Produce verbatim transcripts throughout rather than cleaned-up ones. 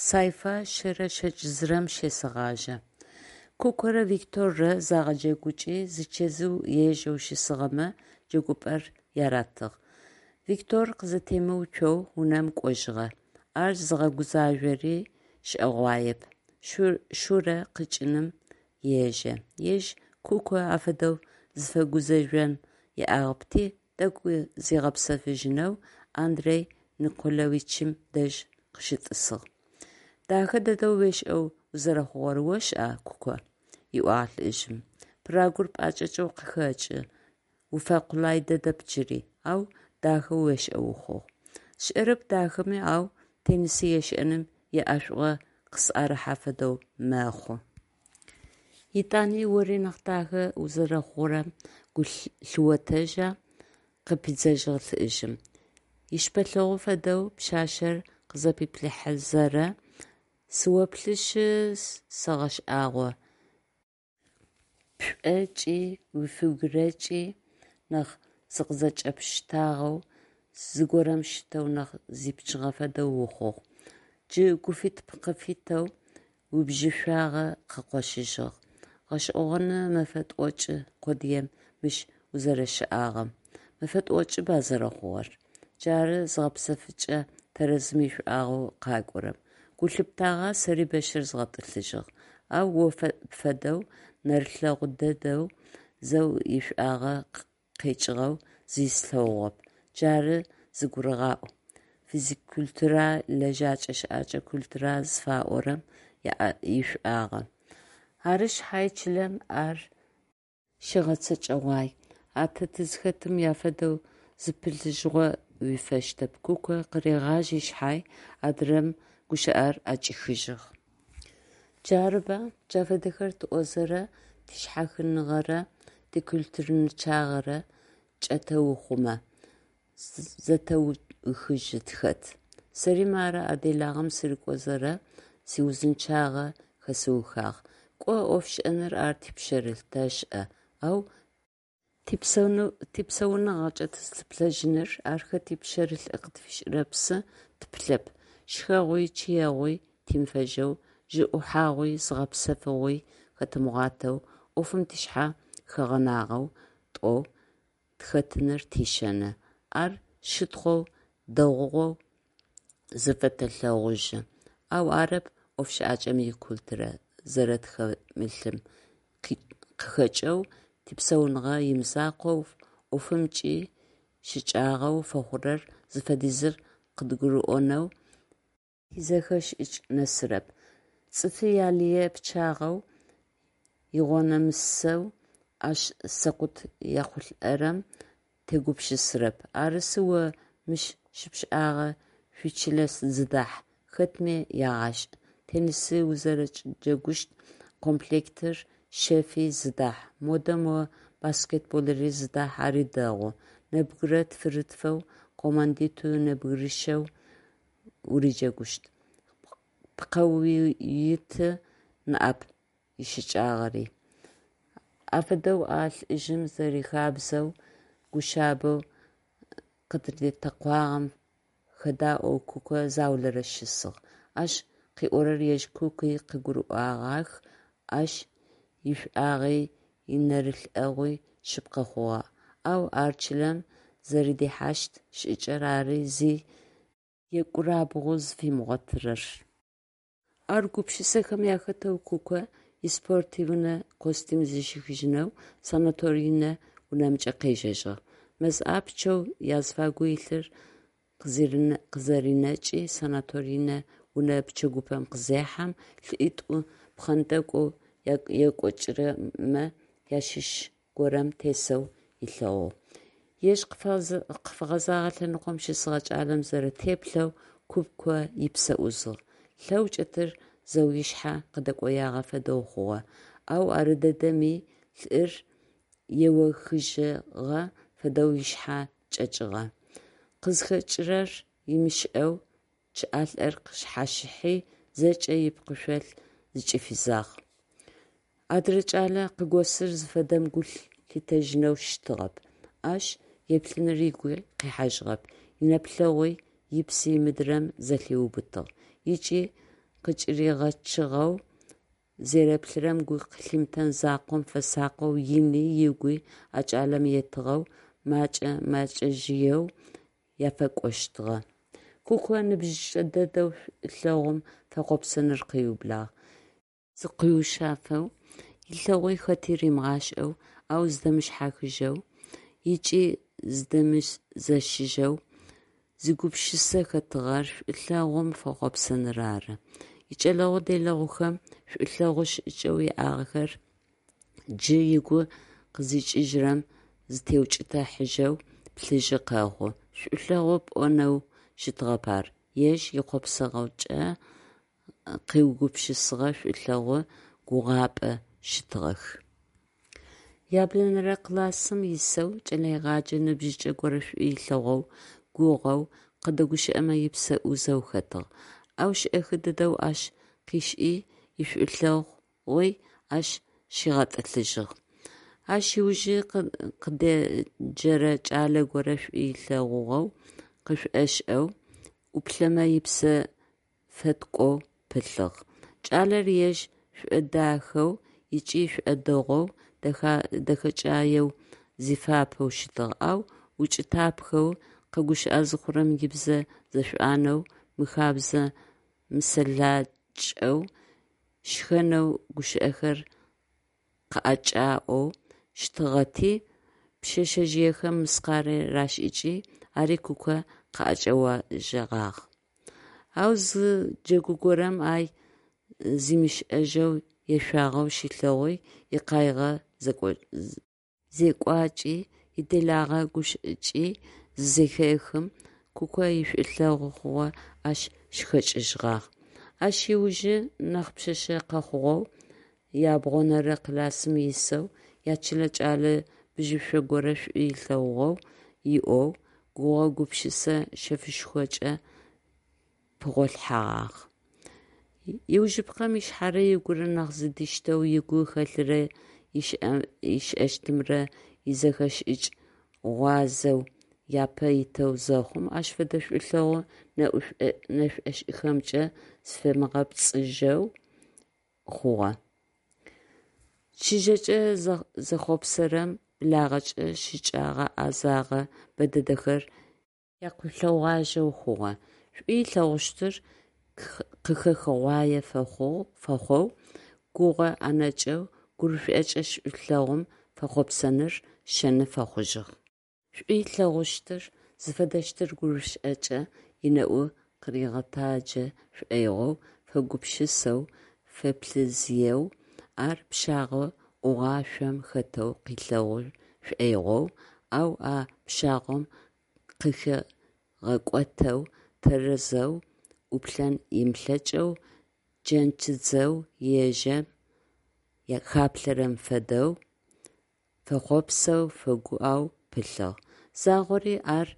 Сайфа шъэрэ щэкӏ зырэм щесэгъажъэ. Кукорэ Викторрэ загъэджэгукӏи, зичэзыу ежэу щысыгъэмэ джэгупӏэр яратыгъ. Виктор къызэтемыуцоу унэм кӏожьыгъэ. Ар зыгъэгузажъори шӏэгъуаеп: Шурэ къикӏыным ежэ. Ежь Куко афэдэу зыфэгузэжъон иӏагъэпти, тӏэкӏу зигъэпсэфыжьынэу Андрей Николаевичым дэжь къыщытӏысыгъ. Дахэ дэдэу уешӏэу узэрэхъугъэр ошӏа, Куко? – ыӏуагъ лӏыжъым. – Пырагор пӏэкӏэкӏэу къыхэкӏы, уфэкъулай дэдэп джыри, ау дахэу уешӏэу ухъугъ. Сшӏэрэп дахэми, ау теннис ешӏэным иӏэшӏугъэ къысӏэрыхьэ фэдэу мэхъу. Етӏани ори нахь дахэ узэрэхъурэм гу лъыотэжьа? – къыпидзэжьыгъ лӏыжъым, ищыпэлъэгъу фэдэу пшъашъэр къызэпиплъыхьэзэрэ. Сыоплъышъы сэгъэшӏагъо: пшӏокӏи уифигурэкӏи нахь зыкъызэкӏэпштагъэу, зыгорэм щтэу нахь зипчыгъэ фэдэу ухъугъ. Джы гуфит-пкъыфитэу уибжьышӏуагъэ къыкъощыжьыгъ. Гъэшӏэгъоны мэфэ тӏокӏ къодыем мыщ узэрэщыӏагъэм. Мэфэ тӏокӏыба зэрэхъугъэр? Джары зыгъэпсэфыкӏэ тэрэзым ишӏуагъэу къакӏорэм. Гу лъыптагъа, сэри бэщыр згъэтӏылъыжьыгъ, ау о пфэдэу нэрылъэгъу дэдэу зэу ишӏуагъэ къекӏыгъэу зи слъэгъугъэп. Джары зыгурыгъаӏу, физкультура, лэжьэкӏэ-шӏэкӏэ культура зыфаӏорэм ишӏуагъэ. Ары шъхьай чылэм ар щыгъэцэкӏэгъуай, а тэ тызхэтым афэдэу зыпылъыжьыгъо уифэщтэп, – Куко къыригъажьи шъхьай, адырэм гущыӏэр ӏэкӏихыжьыгъ. Джарыба? Джа фэдэхэр тӏозэрэ тишъхьахыныгъэрэ тикультурынчъагъэрэ чӏэтэухъумэ, зэтэухыжьы тхэт. Сэри мары а делагъэм сырыкӏозэрэ сиузынчъагъэ хэсыухыгъ. Кӏо ӏофшӏэныр ар типшъэрылъ, тэшӏэ, ау типсауныгъэкӏэ тызлъыплъэжьыныр, ар хэти пшъэрылъ къытфишӏырэпсы тыпылъэп, шхэгъуи чъыегъуи тимыфэжьэу, жьы ӏухьагъуи зыгъэпсэфыгъуи хэтымыгъуатэу, ӏофым тшъхьэ хэгъэнагъэу тӏоу тыхэтыныр тишэны, ар щытхъоу, дэгъугъэу зыфэтэлъэгъужьы, ау арэп ӏофшӏакӏэм икультурэ зэрэтхэмылъым къыхэкӏэу типсауныгъэ имызакъоу ӏофымкӏи щыкӏагъэу фэхъурэр зыфэдизыр къыдгурыӏонэу тизэхэшӏыкӏ нэсырэп, цӏыфы ялые пчъагъэу игъонэмысэу ащ сэкъут ехъулӏэрэм тегупшысэрэп. Арысы о мыщ щыпшӏагъэ шъуичылэ зыдахь, хэтми ягъашӏ, теннис узэрэджэгущт комплектыр щэфи зыдахь, модэ мо баскетболыри зыдахь, ари дэгъу, нэбгырэ тфырытфэу командитӏу нэбгырищэу урыджэгущт, пкъэуитӏу ныӏэп ищыкӏагъэри, афэдэу а лӏыжъым зэрихабзэу гу шъабэу къытыритэкъуагъэм хэдаӏоу Куко заулэрэ щысыгъ. Ащ къыӏорэр ежь Куки къыгурыӏогъах, ащ ишӏуагъи инэрылъэгъуи шъыпкъэ хъугъэ, ау ар чылэм зэрэдихьащт шӏыкӏэр ары зи екӏурабгъу зыфимыгъотырэр. Ар гупшысэхэм ахэтэу Куко испортивнэ костюм зыщихыжьынэу санаторнэ унэмкӏэ къежьэжьыгъ. Мэз ӏапчъэу азыфагу илъыр къызэринэкӏи санаторнэ унэ пчэгупэм къызехьэм, лӏитӏу пхъэнтӏэкӏоу екӏокӏырэмэ ащыщ горэм тесэу ылъэгъугъ. Ежь къыфэгъэзэгъэ лъэныкъом щысыгъэ кӏалэм зэрэтеплъэу Куко ыпсэ ӏузыгъ, лъэу кӏэтыр зэу ышъхьэ къыдэкӏоягъэ фэдэу хъугъэ, ау арыдэдэми лӏыр еохыжьыгъэ фэдэу ышъхьэ кӏэкӏыгъэ, къызхэкӏырэр ымышӏэу чъыӏалӏэр къышъхьащыхьи, зэкӏэ ыпкъышъол зыкӏифызагъ. Адырэ кӏэлэ къыгосыр зыфэдэм гу лъитэжьынэу щытыгъэп, ащ еплъыныр ыгуи къихьажьыгъэп, инэплъэгъуи ыпси мыдрэм зэлъиубытыгъ ыкӏи къыкӏыригъэчыгъэу зэреплъырэм гу лъимытэн закъом фэсакъэу ыни ыгуи а кӏалэм етыгъэу, мэкӏэ-мэкӏэжъыеу яфакӏощтыгъэ. Куко ныбжьыкӏэ дэдэу шӏулъэгъум фэхъопсэныр къыублагъ. Зыкъуиушъэфэу, илъэгъуи хэти римыгъашӏэу, ау зыдимыхьащхыжьэу ыкӏи зыдемызэщыжьэу зигупшысэ хэтыгъэр шӏулъэгъум фэхъопсэныр ары. Икӏэлэгъу-делэгъухэм шӏулъэгъу шӏыкӏэу иӏагъэхэр джы ыгу къызыкӏыжьырэм зытеукӏытыхьажьэу плъыжьы къэхъу: шӏулъэгъу пӏонэу щытыгъэп ар, ежь ихъопсагъокӏэ къыугупшысыгъэ шӏулъэгъу гугъапӏэ щытыгъэх. Яблэнэрэ классым исэу кӏэлэегъэджэ ныбжьыкӏэ горэ шӏу ылъэгъоу, гугъэу, къыдэгущыӏэмэ ыпсэ ӏузэу хэтыгъ. Ау шӏэхы дэдэу ащ къышӏи, ишӏулъэгъуи ащ щигъэтӏылъыжьыгъ. Ащ ыужи къыдеджэрэ кӏалэ горэ шӏу ылъэгъугъэу къышӏошӏэу, ӏуплъэмэ ыпсэ фэткӏоу пылъыгъ. Кӏалэр ежь шӏодахэу ыкӏи шӏодэгъоу, дэхэкӏаеу зифапэу щытыгъ, ау укӏытапхэу, къэгущыӏэ зыхъурэм ыбзэ зэшӏуанэу, мыхабзэ-мысэлакӏэу, щхэнэу гущыӏэхэр къыӏэкӏаӏоу щытыгъэти, пшъэшъэжъыехэм мыскъарэ рашӏыкӏи, ари Куко къыӏэкӏэожьыгъагъ. Ау зы джэгу горэм ай зимышӏэжьэу ешъуагъэу щилъэгъуи, икъаигъэ зекӏуакӏи, иделагъэ гущыӏакӏи зызэхехым, Куко ишӏулъэгъу хъугъэ ащ щыхэкӏыжьыгъагъ. Ащ ыужи нахь пшъэшъэ къэхъугъэу, ябгъонэрэ классым исэу, ячылэ кӏэлэ бжьышӏо горэ шӏу ылъэгъугъэу иӏоу, гугъэ-гупшысэ шъэфышхокӏэ пыгъолъхьэгъагъ. Аужыпкъэм ышъхьэрэ ыгурэ нахь зэдиштэу, ыгу хэлъырэ ышӏэщтымрэ изэхэшӏыкӏ гъуазэу апэ итэу зэхъум, ащ фэдэ шӏулъэгъу нэшӏошӏыхэмкӏэ зыфимыгъэпцӏыжьэу хъугъэ. Чыжьэкӏэ зэхъуапсэрэм благъэкӏэ щыкӏэгъэ-ӏэзэгъэ бэдэдэхэр якъолъэгъуажьэу хъугъэ. Шӏу ылъэгъущтыр къыхэхыгъуае фэхъоу, гугъэ ӏэнэкӏэу, гурышӏокӏэ шӏулъэгъум фэхъопсэныр шэны фэхъужьыгъ. Шӏу ылъэгъущтыр зыфэдэщтыр гурышӏокӏэ ынэӏу къыригъэтаджэ шӏоигъоу, фэгупшысэу, фэплъызыеу, ар пщагъо ӏугъашъом хэтэу къылъэгъу шӏоигъоу, ау а пщагъом къыхигъэкӏотэу, тэрэзэу ӏуплъэн ымылъэкӏэу, джэнчыдзэу ежэм хаплъэрэм фэдэу, фэхъуапсэу, фэгуӏэу пылъыгъ. Загъори ар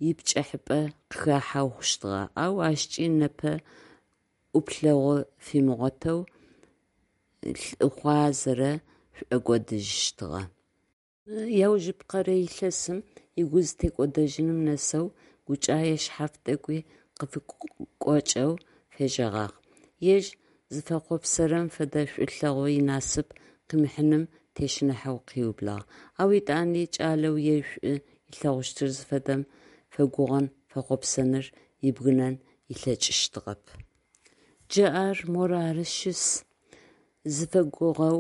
ипкӏыхьапӏэ къыхахьэу хъущтыгъэ, ау ащкӏи непэ ӏуплъэгъу фимыгъотэу лъыхъуазэрэ шӏокӏодыжьыщтыгъэ. Мы аужыпкъэрэ илъэсым ыгу зытекӏодэжьыным нэсэу гукӏае шъхьаф тӏэкӏуи къыфыкъокӏэу фежьэгъагъ. Ежь зыфэхъуапсэрэм фэдэ шӏулъэгъу инасып къымыхьыным тещыныхьэу къыублагъ. Ау етӏани кӏалэу ежь шӏу ылъэгъущтыр зыфэдэм фэгугъэн-фэхъопсэныр ыбгынэн ылъэкӏыщтыгъэп. Джы ар морары щыс, зыфэгугъэу,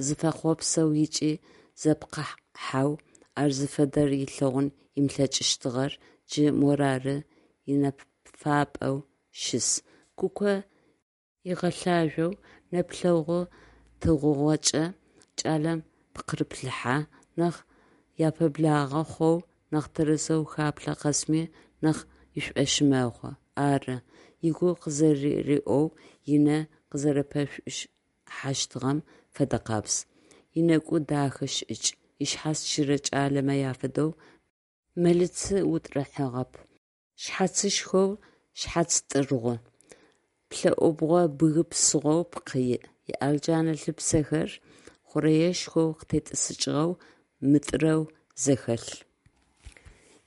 зыфэхъуапсэу ыкӏи зэпкъыхьэу ар зыфэдэр ылъэгъун ымылъэкӏыщтыгъэр джы морары инэфапӏэу щыс. Куко ыгъэлъажъоу, нэплъэгъу тыгъугъэкӏэ кӏалэм пкъыреплъыхьэ, нахь япэблагъэ хъоу, нахь тэрэзэу хаплъэ къэсми нахь ышӏошъы мэхъу: ары, ыгу къызэриӏоу, ынэ къызэрэпэшӏухьащтыгъэм фэдэкъабз, ынэкӏу дахэ шӏыкӏ, ышъхьац чырэ кӏалэмэ афэдэу мэлыцы утӏырхыгъэп, шъхьацышхоу, шъхьац тӏыргъу, плӏэӏубгъо бгы псыгъоу пкъы иӏ, ыӏэлджэнэ лыпцэхэр хъурэешхоу къытетӏысыкӏыгъэу, мытӏырэу зэхэлъ.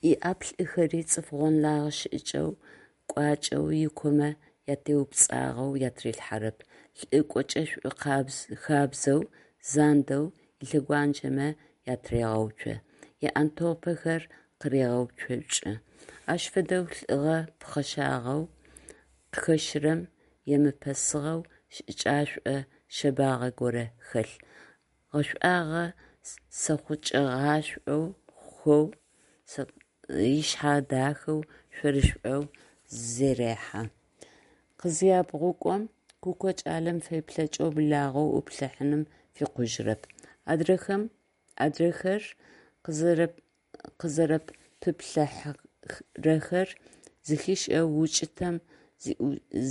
Ыӏаплӏыхэри цӏыф гъонлэгъэ шӏыкӏэу, кӏуачӏэу, ыкомэ ятеупцӏагъэу атырилъхьэрэп, лӏы кӏочӏэшӏу хабзэу, зандэу ылъэгуанджэмэ атырегъэуцо, ыӏэнтопэхэр къырегъэуцокӏы. Ащ фэдэу лӏыгъэ пхъэшагъэу къыхэщырэм емыпэсыгъэу шӏыкӏашӏо шъэбагъэ горэ хэлъ, гъэшӏуагъэ зэхъукӏыгъашӏоу, ышъхьэ дахэу, шъорышӏоу зэрехьэ. Къызябгъукӏом, Куко кӏалэм феплъэкӏэу благъэу ӏуплъыхьаным фикъужьырэп. Адрэхэр къызэрэпыплъыхьэхэрэр зэхишӏэу, укӏытэм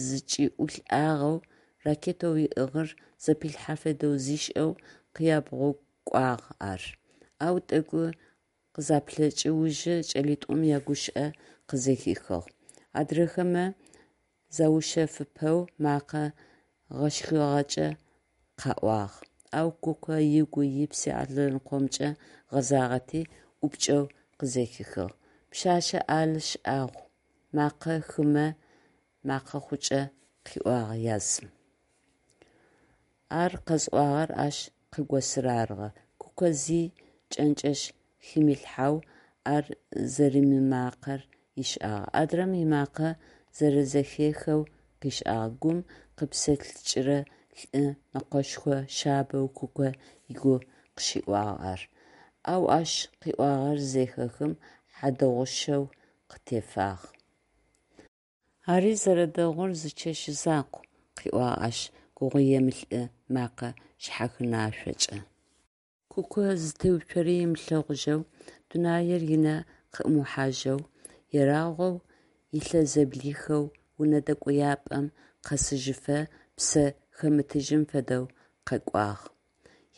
зэкӏиӏулӏагъэу, ракетэу ыӏыгъыр зэпилъхьэ фэдэу зишӏэу къябгъукӏуагъ ар. Ау тӏэкӏу къызаплъэкӏ ужы кӏэлитӏум ягущыӏэ къызэхихыгъ. Адрэхэмэ заушъэфыпэу мэкъэ гъэшхъыгъэкӏэ къаӏуагъ, ау Куко ыгуи ыпси а лъэныкъомкӏэ гъэзагъэти, ӏупкӏэу къызэхихыгъ: «Пшъэшъэ ӏал шӏагъу», мэкъэ хымэ мэкъэхъукӏэ къыӏуагъ язым. Ар къэзыӏуагъэр ащ къыгосыр арыгъэ. Куко зи джэнджэш химылъхьэу ар зэримымакъэр ышӏагъ. Адрэм ымакъэ зэрэзэхехэу къышӏагъ. Гум къипсэлъыкӏырэ лӏы мэкъэшхо шъабэу Куко ыгу къыщиӏуагъ ар. Ау ащ къыӏуагъэр зызэхехым, хьадэгъущэу къытефагъ. Ари зэрэдэгъур зы чэщ закъу, – къыӏуагъ ащ гугъуемылӏы мэкъэ шъхьахынашъокӏэ. Куко зытеуцори ымылъэгъужьэу, дунаир ынэ къыӏумыхьажьэу, ерагъоу ылъэ зэблихэу унэ дэкӏояпӏэм къэсыжьыфэ псэ хэмытыжьым фэдэу къэкӏуагъ.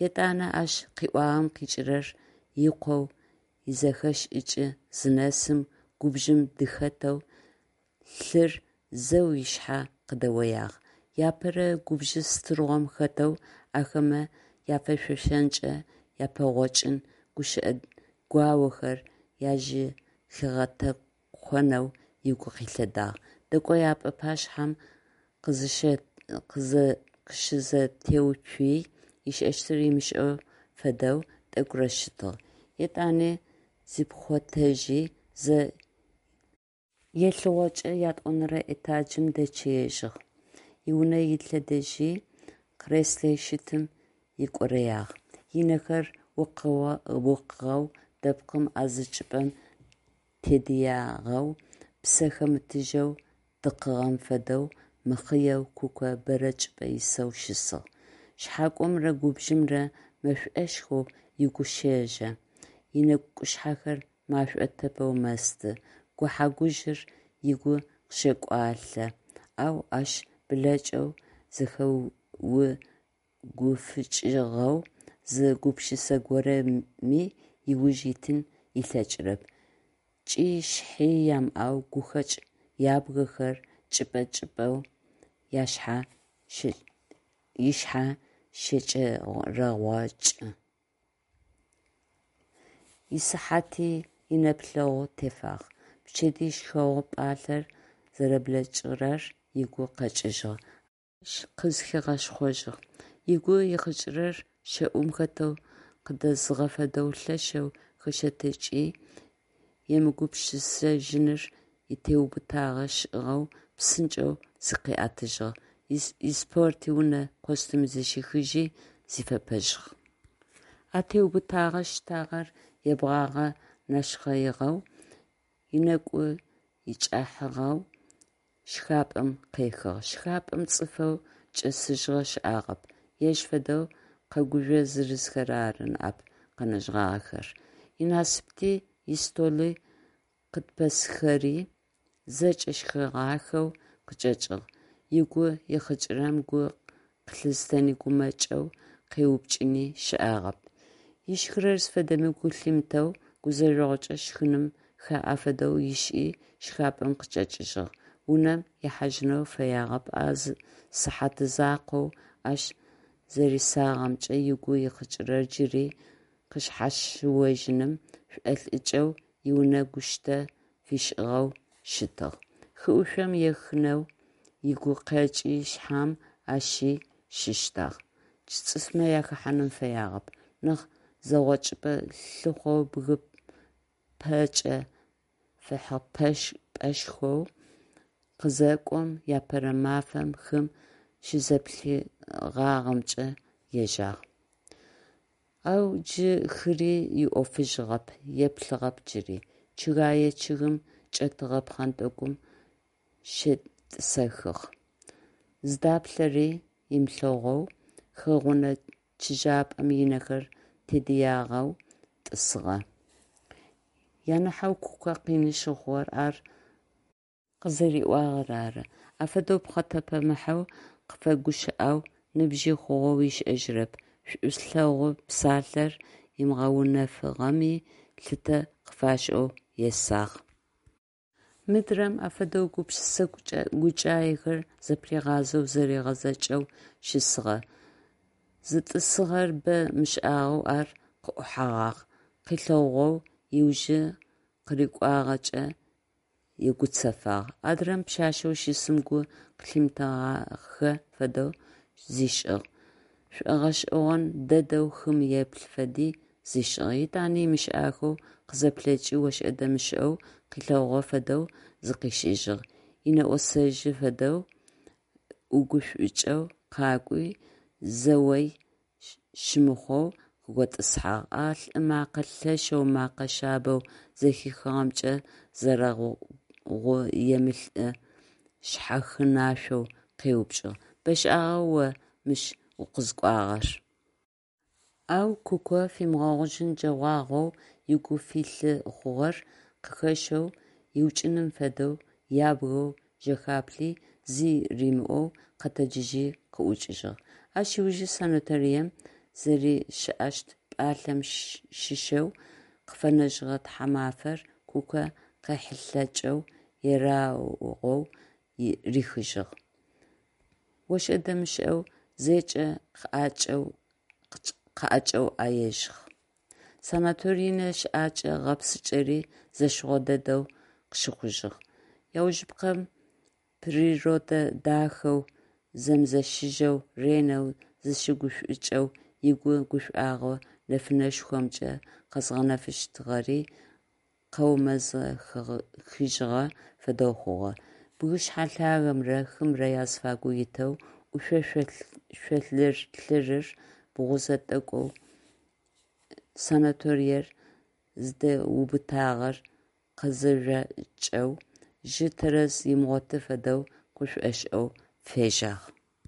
Етӏанэ ащ къыӏуагъэм къикӏырэр икъоу изэхэшӏыкӏ зынэсым, губжым дыхэтэу лъыр зэу ышъхьэ къыдэоягъ. Иапэрэ губж стырыгъом хэтэу ахэмэ яфэшъошэнкӏэ япэгъокӏын, гущыӏэ гуаохэр ажэхигъэтэкъонэу ыгу къилъэдагъ. Дэкӏояпӏэ пашъхьэм къыщызэтеуцуи, ышӏэщтыр ымышӏэ фэдэу тӏэкӏурэ щытыгъ. Етӏани зипхъотэжьи, зэ елъыгъокӏэ ятӏонэрэ этажым дэчъыежьыгъ. Иунэ илъэдэжьи, креслэу щытым икӏорэягъ. Ынэхэр укъыгъэу дэпкъым а зы чӏыпӏэм тедыягъэу, псэ хэмытыжьэу дыкъыгъэм фэдэу мыхъыеу Куко бэрэ чӏыпӏэ исэу щысыгъ. Шъхьакӏомрэ губжымрэ мэшӏошхоу ыгу щэжъэ, ынэкӏушъхьэхэр машӏо тэпэу мэсты, гухьэ-гужъыр ыгу къыщэкӏуалъэ, ау ащ блэкӏэу зэхэугуфыкӏыгъэу зы гупшысэ горэми ыуж итын ылъэкӏырэп, цӏи шъхьи ямыӏэу гухэкӏ ябгэхэр чӏыпӏэ-чӏыпӏэу ышъхьэ щэчэрэгъокӏы. Исыхьати инэплъэгъу тефагъ. Пчэдыжь шхэгъу пӏалъэр зэрэблэкӏыгъэр ыгу къэкӏыжьыгъ, ащ къызхигъэшхъожьыгъ. Ыгу ихъыкӏырэр щэӏум хэтэу къыдэзыгъэ фэдэу лъэшэу хэщэтыкӏи, емыгупшысэжьыныр итеубытагъэ ышӏыгъэу псынкӏэу зыкъиӏэтыжьыгъ, испортивнэ костюм зыщихыжьи, зифэпэжьыгъ. А теубытэгъэ штагъэр ебгъагъэ нэшхъэигъэу, ынэкӏу икӏыхьагъэу шхапӏэм къехыгъ. Шхапӏэм цӏыфэу чӏэсыжьыгъэ щыӏагъэп, ежь фэдэу къэгужъо зырызхэр ары ныӏэп къэнэжьыгъагъэхэр. Инасыпти истоли къыпэсхэри зэкӏэ шхэгъахэу къычӏэкӏыгъ. Ыгу ихъыкӏырэм гу къылъызытэни гумэкӏэу къеупчӏыни щыӏагъэп. Ышхырэр зыфэдэми гу лъимытэу, гузэжъогъукӏэ шхыным хаӏэ фэдэу ышӏи, шхапӏэм къычӏэкӏыжьыгъ. Унэм ихьажьынэу фэягъэп, а зы сыхьат закъоу ащ зэрисагъэмкӏэ ыгу ихъыкӏырэр джыри къышъхьащыожьыным шӏолӏыкӏэу иунэ гущтэ фишӏыгъэу щытыгъ. Хыӏушъом ехынэу Игукъэкӏи шъхьэм ащи щыщтагъ, джы цӏыфмэ ахэхьаным фэягъэп. Нахь зэгъокӏыпӏэ лъыхъоу бгы пэкӏэ фыхьыпӏэшхом къызэкӏом, апэрэ мафэм хым щызэплъыгъагъэмкӏэ ежьагъ. Ау джы хыри иӏофыжьыгъэп, еплъыгъэп джыри. Чъыгэе чъыгым чӏэтыгъэ пхъэнтӏэкӏум щетӏысэхыгъ. Зыдаплъэри ымылъэгъоу хыгъунэ чыжьапӏэм ынэхэр тедыягъэу тӏысыгъэ. Анахьэу Куко къины щыхъугъэр ар къызэриӏуагъэр ары. Афэдэу пхъэтэпэмыхьэу къыфэгущыӏэу ныбжьи хъугъэу ышӏэжьырэп, шӏулъэгъу псалъэр ымыгъэунэфыгъэми, лъытэ къыфашӏэу есагъ. Мыдрэм афэдэу гупшысэ гукӏаехэр зэпыригъазэу зэригъэзэкӏэу щысыгъэ. Зытӏысыгъэр бэ мышӏагъэу ар къыӏухьэгъагъ, къылъэгъугъэу ыужы къырыкӏуагъэкӏэ егуцэфагъ. Адрэм пшъашъэу щысым гу къылъимытэгъахэ фэдэу зишӏыгъ, шӏогъэшӏэгъон дэдэу хым еплъы фэди зишӏыгъ. Етӏани ымышӏахэу къызэплъэкӏи ошӏэ-дэмышӏэу къылъэгъугъэ фэдэу зыкъишӏыжьыгъ, инэӏосэжьы фэдэу ӏугушӏукӏэу къакӏуи, зэуи щымыхъоу къыготӏысхьагъ, а лӏы мэкъэ лъэшэу мэкъэ шъабэу зэхихыгъэмкӏэ зэрэгъуемылӏы шъхьахынашъоу къеупчӏыгъ: «Бэшӏагъа о мыщ укъызыкӏуагъэр?» Ау Куко фимыгъэгъужьын джэгъуагъоу ыгу филъы хъугъэр къыхэщэу, ыукӏыным фэдэу ябгэу жэхаплъи, зи римыӏоу къэтэджыжьи къыӏукӏыжьыгъ. Ащ ыужы санаторием зэрэщыӏэщт пӏалъэм щыщэу къыфэнэжьыгъэ тхьамафэр Куко къехьылъэкӏэу, ерагъоу рихыжьыгъ. Ошӏэ-дэмышӏэу зэкӏэ къыӏэкӏэуӏэежьыгъ. Санаторийнэ щыӏэкӏэ-гъэпсыкӏэри зэщыгъо дэдэу къыщыхъужьыгъ. Аужыпкъэм, природэ дахэу, зэмызэщыжьэу, ренэу зыщыгушӏукӏэу, ыгу гушӏуагъо нэфынэшхомкӏэ къэзгъэнэфыщтыгъэри къэумэзэхыжьыгъэ фэдэу хъугъэ. Бгышъхьэ лъагэмрэ хымрэ азыфагу итэу, ӏушъо шъолъырыр бгъузэ тӏэкӏоу санаториер зыдэубытагъэр къызэжъокӏэу, жьы тэрэз ымыгъоты фэдэу къышӏошӏэу фежьагъ.